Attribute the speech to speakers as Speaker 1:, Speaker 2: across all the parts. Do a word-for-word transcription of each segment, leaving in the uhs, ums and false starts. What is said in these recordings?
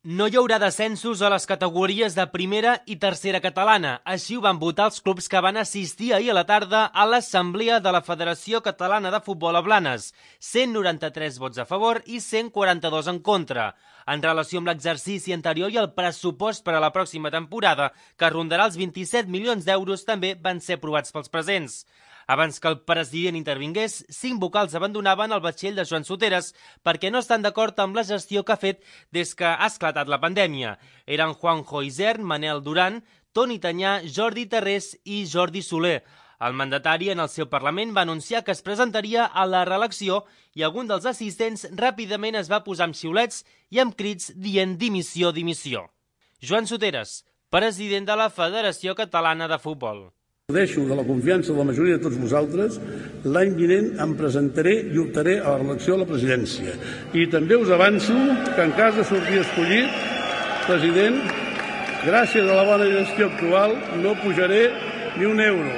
Speaker 1: No hi haurà descensos a les categories de primera i tercera catalana. Així ho van votar els clubs que van assistir ahir a la tarda a l'Assemblea de la Federació Catalana de Futbol a Blanes. cent noranta-tres vots a favor i cent quaranta-dos en contra. En relació amb l'exercici anterior i el pressupost per a la pròxima temporada, que rondarà els vint-i-set milions d'euros, també van ser aprovats pels presents. Abans que el president intervingués, cinc vocals abandonaven el vaixell de Joan Soteres perquè no estan d'acord amb la gestió que ha fet des que ha esclatat la pandèmia. Eren Juanjo Isern, Manel Duran, Toni Tanyà, Jordi Tarrés i Jordi Soler. El mandatari en el seu Parlament va anunciar que es presentaria a la reelecció i algun dels assistents ràpidament es va posar amb xiulets i amb crits dient dimissió, dimissió. Joan Soteres, president de la Federació Catalana de Futbol.
Speaker 2: Gaudeixo de la confiança de la majoria de tots vosaltres. L'any vinent em presentaré i optaré a la reelecció a la presidència. I també us avanço que en cas de sortir escollit, president, gràcies a la bona gestió actual, no pujaré ni un euro.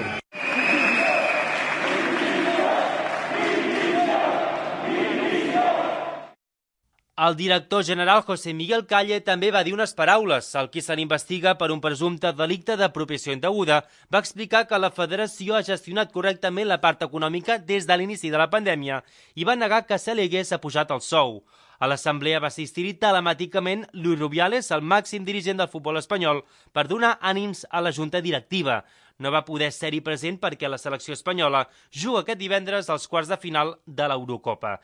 Speaker 1: El director general José Miguel Calle també va dir unes paraules. El qui se n'investiga per un presumpte delicte d'apropiació indeguda va explicar que la federació ha gestionat correctament la part econòmica des de l'inici de la pandèmia i va negar que se li hagués apujat el sou. A l'assemblea va assistir-hi telemàticament Luis Rubiales, el màxim dirigent del futbol espanyol, per donar ànims a la junta directiva. No va poder ser-hi present perquè la selecció espanyola juga aquest divendres als quarts de final de l'Eurocopa.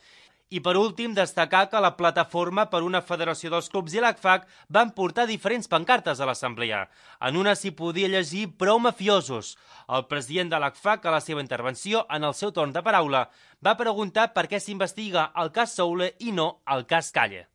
Speaker 1: I per últim, destacar que la Plataforma per una Federació dels Clubs i l'A C F A C van portar diferents pancartes a l'assemblea. En una s'hi podia llegir "Prou mafiosos". El president de l'A C F A C, a la seva intervenció, en el seu torn de paraula, va preguntar per què s'investiga el cas Soule i no el cas Calle.